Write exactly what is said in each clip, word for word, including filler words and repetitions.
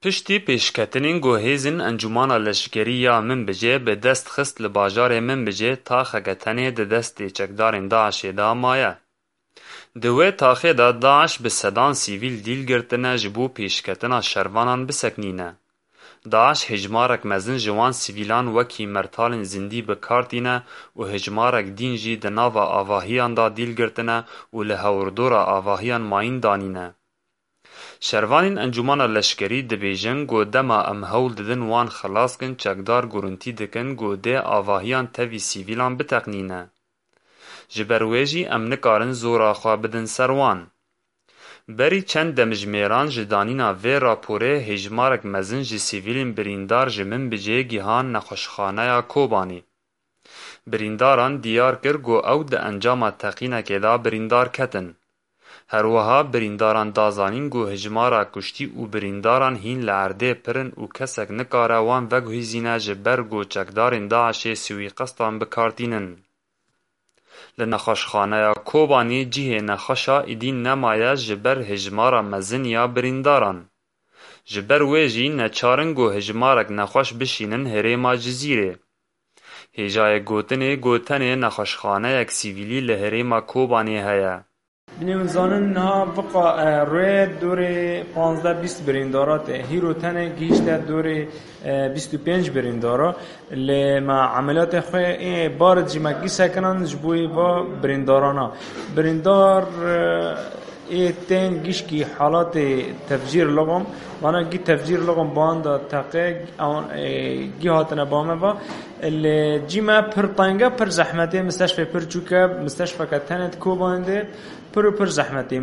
Piştî pêşketinên ku hêzên Encûmana Leşkerî ya Minbicê bi dest xist li bajarê Minbicê taxeke tenê di destê çekdarên DAIŞê de maye. Di wê taxê de DAIŞ bi sedan sivîl dîl girtine ji bo pêşketina şervanan biseknîne. DAIŞ hêjmarek mezin ji wan sivîlan wekî mertalên zindî bi kar tîne û hêjmarek dîn jî di nava avahiyan de dîl girtine û li hewirdora avahiyan mayîn danîne. Şervanên Encûmana Leşkerî dibêjin ku dema em hewl didin wan xilas kin, çekdar gurintî dikin ku dê avahiyan tevî sivîlan biteqnîne. Ji ber wê jî em nikarin zora xwe bidin ser wan. Berî çend demjimêran ji danîna vê raporê hêjmarek mezin ji sivîlên birîndar ji Minbicê gihan nexweşxaneya Kobanê. Birîndaran diyar kir ku ew di encama teqînekê de birîndar ketin. Her wiha birîndaran da zanîn ku hijmara kuştî û birîndaran hîn li erdê pir in û kesek nikare wan veguhîzîne ji ber ku çekdarên DAIŞê suîqestan bi kar tînin. Li nexweşxaneya Kobanê cihê nexweşa êdî nemaye ji ber hijmara mezin ya birîndaran. Ji ber wê jî neçar in ku hijmarek nexweş bişînin herêma Cizîrê. Hêjayê gotinê ku tenê nexweşxaneyek sivîlî li herêma Kobanê heye. Binê min zanin niha viqa, e, rê dorê panzdeh bîst birîndara tê. Hîro tenê gihîşte dorê, e, bîst û pênc birîndara. Lê me emeliyatê xwe ê barid jî me gî sekinan ji bo va birîndarana. Birîndar, e, ê tên gişkî halatê tefcîr lixom. Vana gî tefcîr lixom banda teqe, ewan, e, gî hatine ba me va. Lê cî me pir tenge, pir zehmetê, misteşfê pir çûke, misteşfeke tenê di Kobanê de pir û pir zehmetê.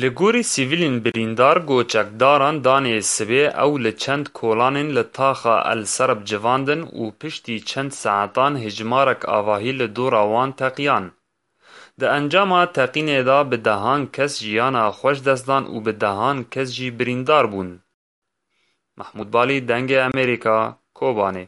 Li gorî sivîlên birîndar ku çekdaran danê sibê ew li çend kolanên li taxa El Serb civandin û piştî çend saetan hijmarek avahî li dora wan teqiyan. Di encama teqînê de bi dehan kes jiyana xwe ji dest dan û bi dehan kes jî birîndar bûn. Mehmûd Balî, Dengê Amerîka, Kobanê.